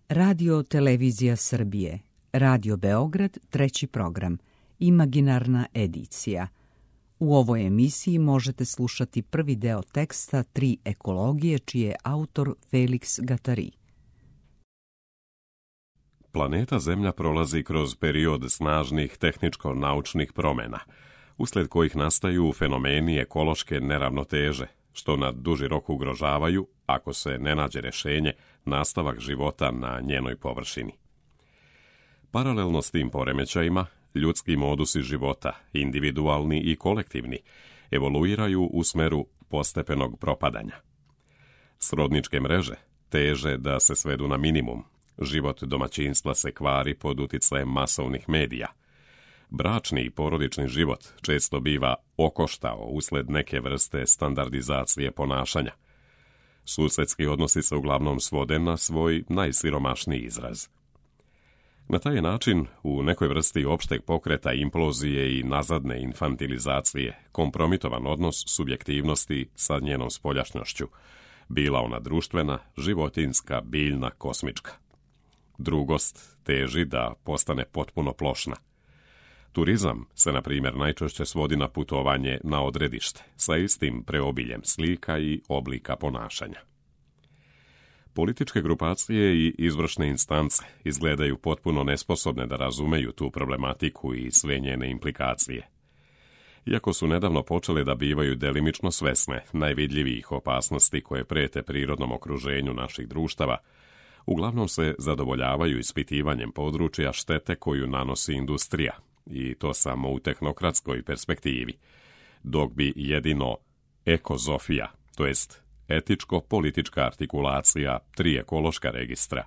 Radio Televizija Srbije, Radio Beograd, 3. program, Imaginarna edicija. U ovoj emisiji možete slušati prvi deo teksta 3 ekologije, čiji je autor Felix Gattari. Planeta Zemlja prolazi kroz period snažnih tehničko-naučnih promjena, usled kojih nastaju fenomeni ekološke neravnoteže, što na duži rok ugrožavaju, ako se ne nađe rješenje, nastavak života na njenoj površini. Paralelno s tim poremećajima, ljudski modusi života, individualni i kolektivni, evoluiraju u smeru postepenog propadanja. Srodničke mreže teže da se svedu na minimum, život domaćinstva se kvari pod utjecajem masovnih medija. Bračni i porodični život često biva okoštao usled neke vrste standardizacije ponašanja. Susjedski odnosi se uglavnom svode na svoj najsiromašniji izraz. Na taj način, u nekoj vrsti opšteg pokreta implozije i nazadne infantilizacije, kompromitovan odnos subjektivnosti sa njenom spoljašnjošću, bila ona društvena, životinjska, biljna, kosmička. Drugost teži da postane potpuno plošna. Turizam se, na primjer, najčešće svodi na putovanje na odredište, sa istim preobiljem slika i oblika ponašanja. Političke grupacije i izvršne instance izgledaju potpuno nesposobne da razumeju tu problematiku i sve njene implikacije. Iako su nedavno počele da bivaju delimično svesne najvidljivijih opasnosti koje prete prirodnom okruženju naših društava, uglavnom se zadovoljavaju ispitivanjem područja štete koju nanosi industrija, i to samo u tehnokratskoj perspektivi, dok bi jedino ekozofija, to jest etičko-politička artikulacija 3 ekološka registra,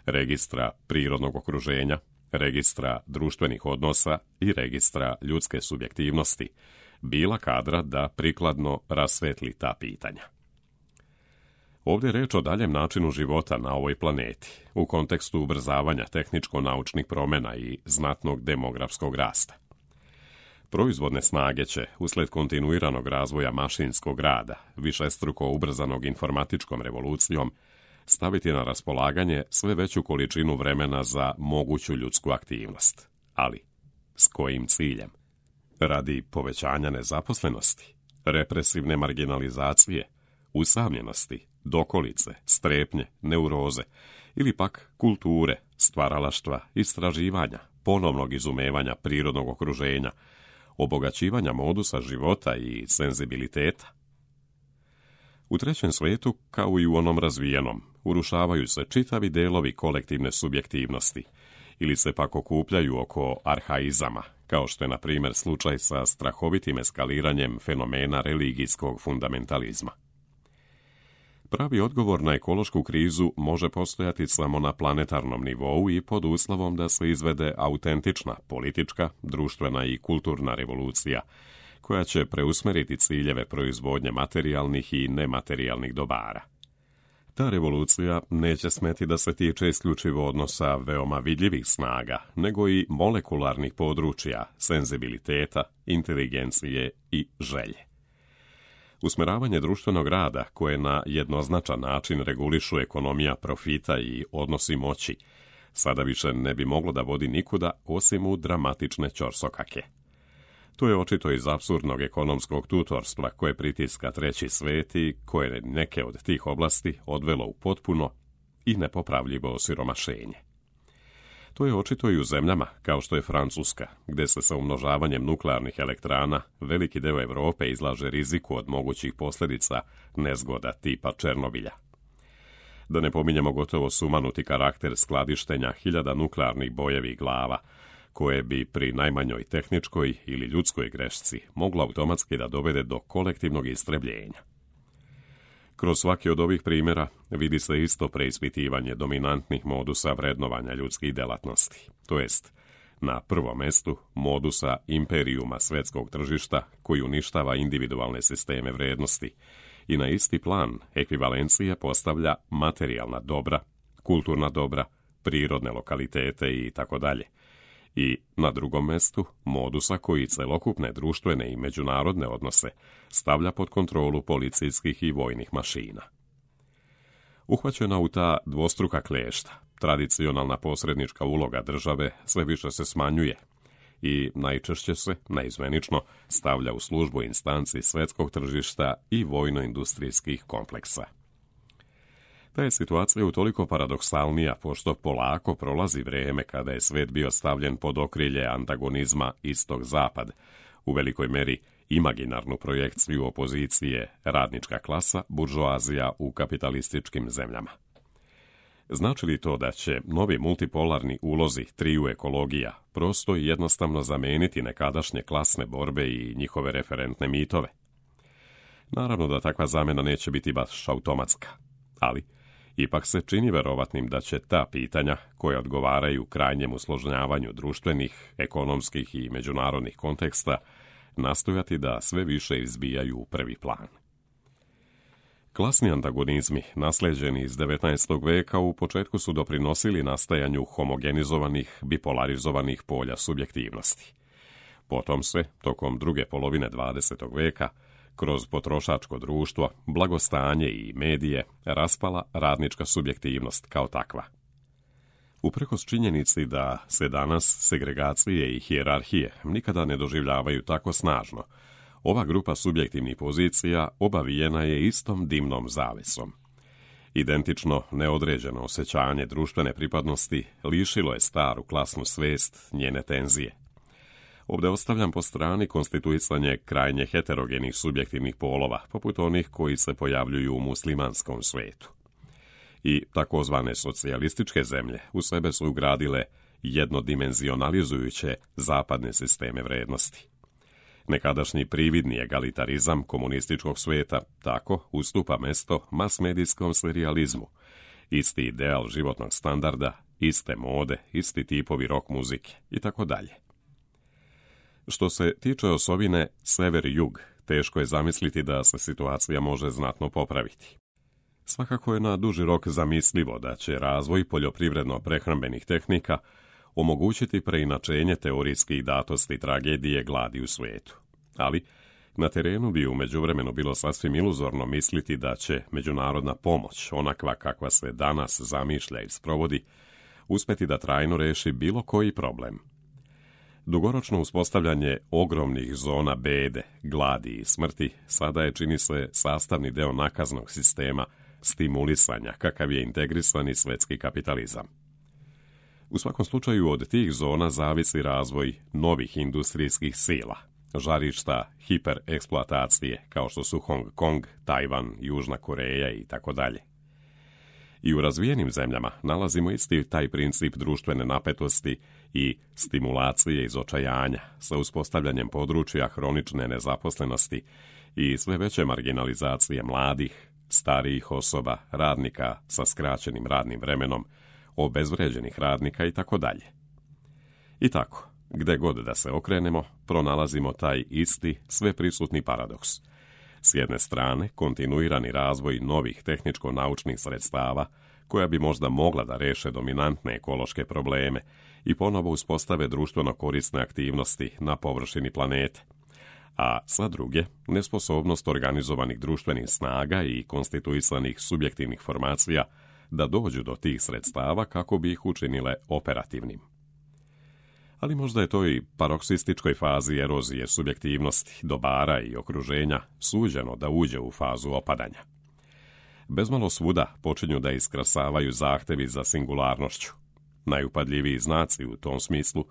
registra prirodnog okruženja, registra društvenih odnosa i registra ljudske subjektivnosti, bila kadra da prikladno rasvetli ta pitanja. Ovdje je reč o daljem načinu života na ovoj planeti, u kontekstu ubrzavanja tehničko-naučnih promjena i znatnog demografskog rasta. Proizvodne snage će, usled kontinuiranog razvoja mašinskog rada, višestruko ubrzanog informatičkom revolucijom, staviti na raspolaganje sve veću količinu vremena za moguću ljudsku aktivnost. Ali, s kojim ciljem? Radi povećanja nezaposlenosti, represivne marginalizacije, usamljenosti, dokolice, strepnje, neuroze, ili pak kulture, stvaralaštva, istraživanja, ponovnog izumevanja prirodnog okruženja, obogaćivanja modusa života i senzibiliteta. U trećem svijetu, kao i u onom razvijenom, urušavaju se čitavi delovi kolektivne subjektivnosti ili se pak okupljaju oko arhaizama, kao što je na primjer slučaj sa strahovitim eskaliranjem fenomena religijskog fundamentalizma. Pravi odgovor na ekološku krizu može postojati samo na planetarnom nivou i pod uslovom da se izvede autentična politička, društvena i kulturna revolucija, koja će preusmeriti ciljeve proizvodnje materijalnih i nematerijalnih dobara. Ta revolucija neće smeti da se tiče isključivo odnosa veoma vidljivih snaga, nego i molekularnih područja, senzibiliteta, inteligencije i želje. Usmeravanje društvenog rada, koje na jednoznačan način regulišu ekonomija profita i odnosi moći, sada više ne bi moglo da vodi nikuda osim u dramatične ćorsokake. To je očito iz apsurdnog ekonomskog tutorstva koje pritiska treći svet i koje neke od tih oblasti odvelo u potpuno i nepopravljivo osiromašenje. To je očito i u zemljama kao što je Francuska, gdje se sa umnožavanjem nuklearnih elektrana veliki deo Europe izlaže riziku od mogućih posljedica nezgoda tipa Černobilja. Da ne pominjemo gotovo sumanuti karakter skladištenja hiljada nuklearnih bojevih glava, koje bi pri najmanjoj tehničkoj ili ljudskoj grešci moglo automatski da dovede do kolektivnog istrebljenja. Kroz svaki od ovih primjera vidi se isto preispitivanje dominantnih modusa vrednovanja ljudskih delatnosti, to jest na prvom mestu modusa imperijuma svetskog tržišta koji uništava individualne sisteme vrednosti i na isti plan ekvivalencije postavlja materijalna dobra, kulturna dobra, prirodne lokalitete i tako dalje. I na drugom mestu modusa koji celokupne društvene i međunarodne odnose stavlja pod kontrolu policijskih i vojnih mašina. Uhvaćena u ta dvostruka klešta, tradicionalna posrednička uloga države sve više se smanjuje i najčešće se, neizmenično, stavlja u službu instanci svjetskog tržišta i vojno-industrijskih kompleksa. Ta je situacija utoliko paradoksalnija pošto polako prolazi vrijeme kada je svijet bio stavljen pod okrilje antagonizma istok-zapad, u velikoj meri imaginarnu projekciju opozicije radnička klasa, buržoazija u kapitalističkim zemljama. Znači li to da će novi multipolarni ulozi triju ekologija prosto i jednostavno zameniti nekadašnje klasne borbe i njihove referentne mitove? Naravno da takva zamjena neće biti baš automatska, ali ipak se čini verovatnim da će ta pitanja, koja odgovaraju krajnjem usložnjavanju društvenih, ekonomskih i međunarodnih konteksta, nastojati da sve više izbijaju u prvi plan. Klasni antagonizmi, naslijeđeni iz 19. veka, u početku su doprinosili nastajanju homogenizovanih, bipolarizovanih polja subjektivnosti. Potom se, tokom druge polovine 20. veka, kroz potrošačko društvo, blagostanje i medije, raspala radnička subjektivnost kao takva. Uprkos činjenici da se danas segregacije i hijerarhije nikada ne doživljavaju tako snažno, ova grupa subjektivnih pozicija obavijena je istom dimnom zavesom. Identično neodređeno osjećanje društvene pripadnosti lišilo je staru klasnu svijest njene tenzije. Ovdje ostavljam po strani konstituisanje krajnje heterogenih subjektivnih polova, poput onih koji se pojavljuju u muslimanskom svijetu. I takozvane socijalističke zemlje u sebe su ugradile jednodimenzionalizujuće zapadne sisteme vrednosti. Nekadašnji prividni egalitarizam komunističkog svijeta tako ustupa mesto masmedijskom serijalizmu. Isti ideal životnog standarda, iste mode, isti tipovi rock muzike i tako dalje. Što se tiče osovine sever-jug, teško je zamisliti da se situacija može znatno popraviti. Svakako je na duži rok zamislivo da će razvoj poljoprivredno-prehrambenih tehnika omogućiti preinačenje teorijskih datosti tragedije gladi u svijetu. Ali na terenu bi u međuvremenu bilo sasvim iluzorno misliti da će međunarodna pomoć, onakva kakva se danas zamišlja i sprovodi, uspjeti da trajno reši bilo koji problem. Dugoročno uspostavljanje ogromnih zona bede, gladi i smrti sada je, čini se, sastavni deo nakaznog sistema stimulisanja kakav je integrisani svjetski kapitalizam. U svakom slučaju od tih zona zavisi razvoj novih industrijskih sila, žarišta hipereksploatacije kao što su Hong Kong, Tajvan, Južna Koreja i tako dalje. I u razvijenim zemljama nalazimo isti taj princip društvene napetosti i stimulacije iz očajanja sa uspostavljanjem područja hronične nezaposlenosti i sve veće marginalizacije mladih, starijih osoba, radnika sa skraćenim radnim vremenom, obezvređenih radnika i tako dalje. I tako, gde god da se okrenemo, pronalazimo taj isti, sveprisutni paradoks. S jedne strane, kontinuirani razvoj novih tehničko-naučnih sredstava, koja bi možda mogla da reše dominantne ekološke probleme i ponovo uspostave društveno korisne aktivnosti na površini planete. A sa druge, nesposobnost organizovanih društvenih snaga i konstituisanih subjektivnih formacija da dođu do tih sredstava kako bi ih učinile operativnim. Ali možda je to i paroksističkoj fazi erozije subjektivnosti, dobara i okruženja suđeno da uđe u fazu opadanja. Bezmalo svuda počinju da iskrasavaju zahtevi za singularnošću. Najupadljiviji znaci u tom smislu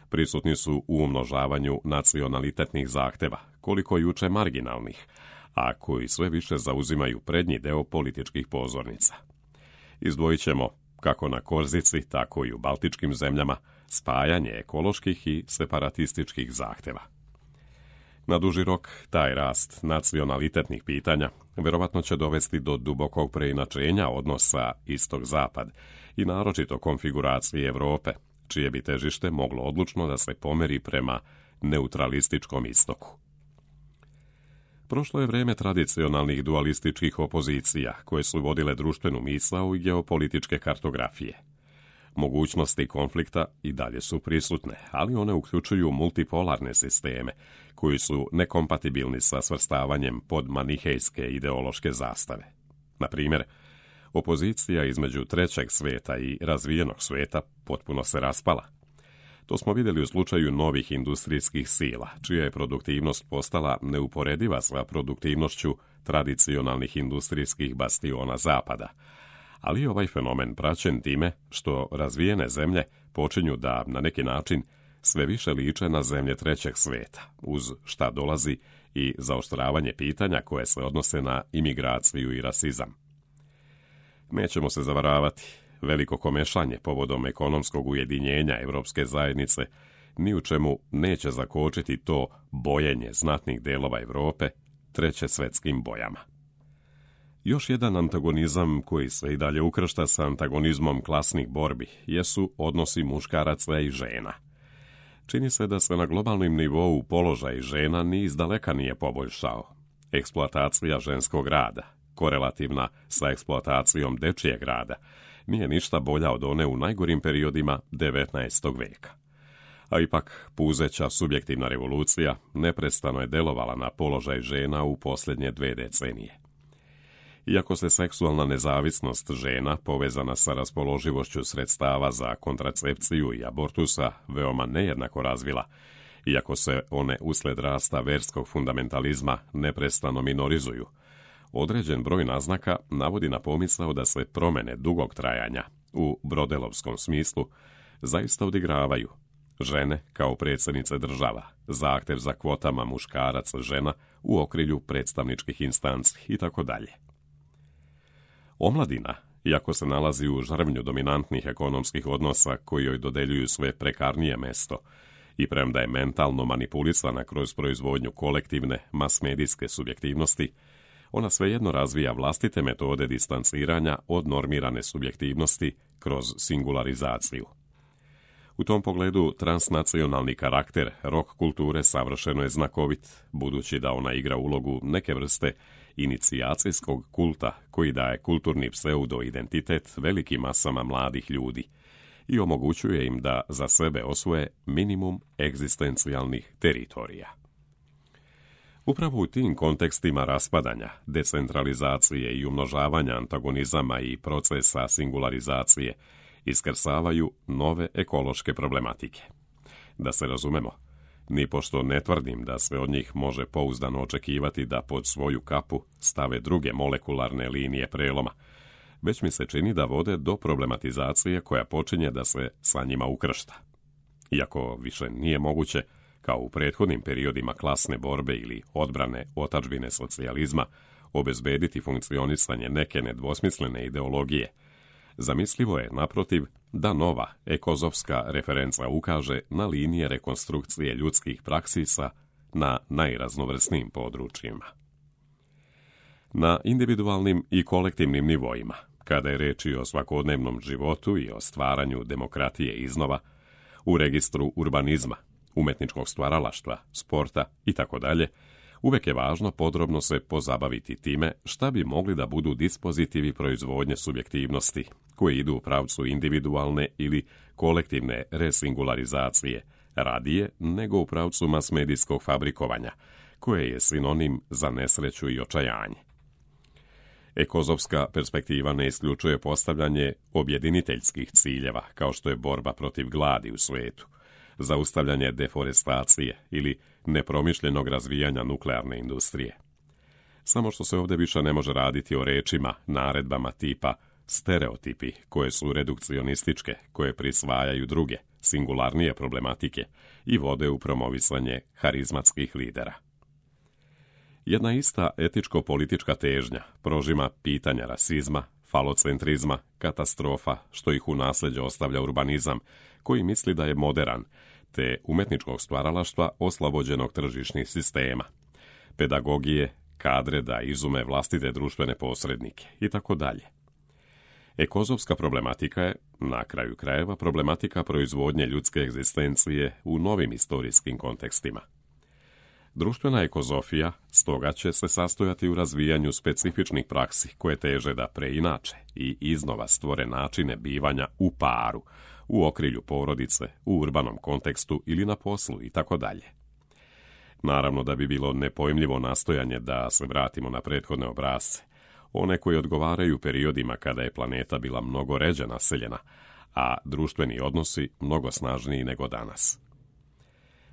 prisutni su u umnožavanju nacionalitetnih zahteva, koliko juče marginalnih, a koji sve više zauzimaju prednji deo političkih pozornica. Izdvojit ćemo, kako na Korzici, tako i u baltičkim zemljama, spajanje ekoloških i separatističkih zahteva. Na duži rok, taj rast nacionalitetnih pitanja vjerovatno će dovesti do dubokog preinačenja odnosa istok-zapad i naročito konfiguracije Europe, čije bi težište moglo odlučno da se pomeri prema neutralističkom istoku. Prošlo je vrijeme tradicionalnih dualističkih opozicija koje su vodile društvenu misao i geopolitičke kartografije. Mogućnosti konflikta i dalje su prisutne, ali one uključuju multipolarne sisteme koji su nekompatibilni sa svrstavanjem pod manihejske ideološke zastave. Na primjer, Opozicija između trećeg svijeta i razvijenog svijeta potpuno se raspala. To smo vidjeli u slučaju novih industrijskih sila, čija je produktivnost postala neuporediva sa produktivnošću tradicionalnih industrijskih bastiona zapada. Ali ovaj fenomen praćen time što razvijene zemlje počinju da, na neki način, sve više liče na zemlje trećeg svijeta, uz šta dolazi i zaoštravanje pitanja koje se odnose na imigraciju i rasizam. Nećemo se zavaravati, veliko komešanje povodom ekonomskog ujedinjenja Europske zajednice ni u čemu neće zakočiti to bojenje znatnih delova Europe treće svjetskim bojama. Još jedan antagonizam koji se i dalje ukršta sa antagonizmom klasnih borbi jesu odnosi muškaraca i žena. Čini se da se na globalnom nivou položaj žena ni izdaleka nije poboljšao. Eksploatacija ženskog rada, korelativna sa eksploatacijom dečijeg rada, nije ništa bolja od one u najgorim periodima 19. vijeka. A ipak, puzeća subjektivna revolucija neprestano je delovala na položaj žena u posljednje 2 decenije. Iako se seksualna nezavisnost žena, povezana sa raspoloživošću sredstava za kontracepciju i abortusa, veoma nejednako razvila, iako se one usled rasta verskog fundamentalizma neprestano minorizuju, određen broj naznaka navodi na pomisao da se promjene dugog trajanja, u brodelovskom smislu, zaista odigravaju. Žene kao predsjednice država, zahtjev za kvotama muškaraca žena u okrilju predstavničkih instanci itd. Omladina, iako se nalazi u žrvnju dominantnih ekonomskih odnosa koji joj dodeljuju sve prekarnije mesto, i premda je mentalno manipulisana kroz proizvodnju kolektivne, masmedijske subjektivnosti, ona svejedno razvija vlastite metode distanciranja od normirane subjektivnosti kroz singularizaciju. U tom pogledu transnacionalni karakter rock kulture savršeno je znakovit, budući da ona igra ulogu neke vrste inicijacijskog kulta koji daje kulturni pseudo-identitet velikim masama mladih ljudi i omogućuje im da za sebe osvoje minimum egzistencijalnih teritorija. Upravo u tim kontekstima raspadanja, decentralizacije i umnožavanja antagonizama i procesa singularizacije iskrsavaju nove ekološke problematike. Da se razumemo, nipošto ne tvrdim da se od njih može pouzdano očekivati da pod svoju kapu stave druge molekularne linije preloma, već mi se čini da vode do problematizacije koja počinje da se sa njima ukršta. Iako više nije moguće, kao u prethodnim periodima klasne borbe ili odbrane otadžbine socijalizma, obezbediti funkcionisanje neke nedvosmislene ideologije, zamislivo je, naprotiv, da nova ekozovska referenca ukaže na linije rekonstrukcije ljudskih praksisa na najraznovrsnijim područjima. Na individualnim i kolektivnim nivoima, kada je reč o svakodnevnom životu i o stvaranju demokratije iznova, u registru urbanizma, umetničkog stvaralaštva, sporta itd., uvek je važno podrobno se pozabaviti time šta bi mogli da budu dispozitivi proizvodnje subjektivnosti, koji idu u pravcu individualne ili kolektivne resingularizacije, radije nego u pravcu masmedijskog fabrikovanja, koje je sinonim za nesreću i očajanje. Ekozovska perspektiva ne isključuje postavljanje objediniteljskih ciljeva, kao što je borba protiv gladi u svijetu, zaustavljanje deforestacije ili nepromišljenog razvijanja nuklearne industrije. Samo što se ovdje više ne može raditi o rečima, naredbama tipa stereotipi, koje su redukcionističke, koje prisvajaju druge, singularnije problematike i vode u promovisanje harizmatskih lidera. Jedna ista etičko-politička težnja prožima pitanja rasizma, falocentrizma, katastrofa, što ih u nasljeđe ostavlja urbanizam, koji misli da je moderan, te umetničkog stvaralaštva oslobođenog tržišnih sistema, pedagogije, kadre da izume vlastite društvene posrednike itd. Ekozovska problematika je, na kraju krajeva, problematika proizvodnje ljudske egzistencije u novim historijskim kontekstima. Društvena ekozofija stoga će se sastojati u razvijanju specifičnih praksi koje teže da preinače i iznova stvore načine bivanja u paru, u okrilju porodice, u urbanom kontekstu ili na poslu itd. Naravno da bi bilo nepojmljivo nastojanje da se vratimo na prethodne obrasce. one koje odgovaraju periodima kada je planeta bila mnogo ređe naseljena, a društveni odnosi mnogo snažniji nego danas.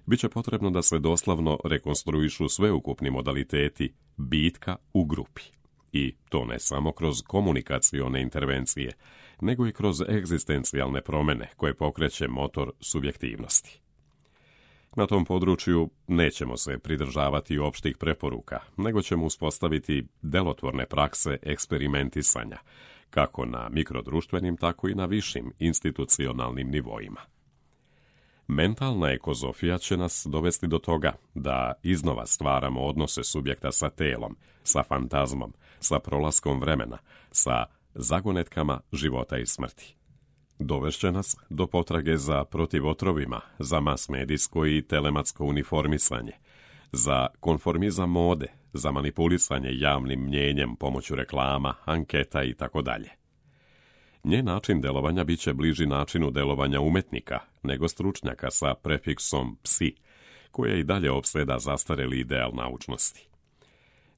Biće potrebno da se doslovno rekonstruišu sveukupni modaliteti bitka u grupi. I to ne samo kroz komunikacione intervencije, nego i kroz egzistencijalne promjene koje pokreće motor subjektivnosti. Na tom području nećemo se pridržavati opštih preporuka, nego ćemo uspostaviti delotvorne prakse eksperimentisanja, kako na mikrodruštvenim, tako i na višim institucionalnim nivoima. Mentalna ekozofija će nas dovesti do toga da iznova stvaramo odnose subjekta sa telom, sa fantazmom, sa prolaskom vremena, sa zagonetkama života i smrti. Dovešće nas do potrage za protivotrovima, za masmedijsko i telematsko uniformisanje, za konformizam mode, za manipulisanje javnim mnjenjem pomoću reklama, anketa itd. Njen način delovanja bit će bliži načinu delovanja umetnika nego stručnjaka sa prefiksom psi, koja i dalje opseda zastareli ideal naučnosti.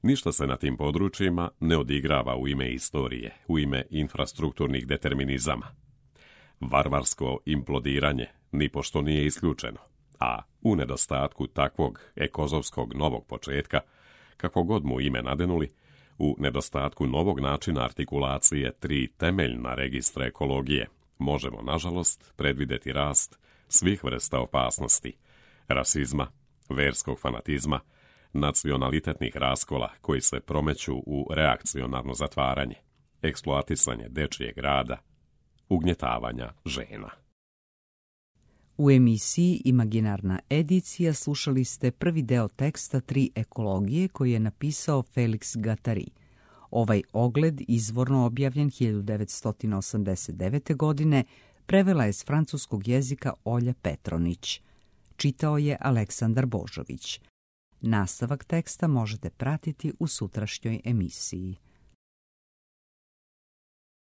Ništa se na tim područjima ne odigrava u ime istorije, u ime infrastrukturnih determinizama. Varvarsko implodiranje nipošto nije isključeno, a u nedostatku takvog ekozovskog novog početka, kako god mu ime nadenuli, u nedostatku novog načina artikulacije 3 temeljna registra ekologije, možemo, nažalost, predvidjeti rast svih vrsta opasnosti, rasizma, verskog fanatizma, nacionalitetnih raskola koji se promeću u reakcionarno zatvaranje, eksploatisanje dečijeg rada, ugnjetavanja žena. U emisiji Imaginarna edicija slušali ste prvi deo teksta 3 ekologije koji je napisao Felix Guattari. Ovaj ogled, izvorno objavljen 1989. godine, prevela je s francuskog jezika Olja Petronić. Čitao je Aleksandar Božović. Nastavak teksta možete pratiti u sutrašnjoj emisiji.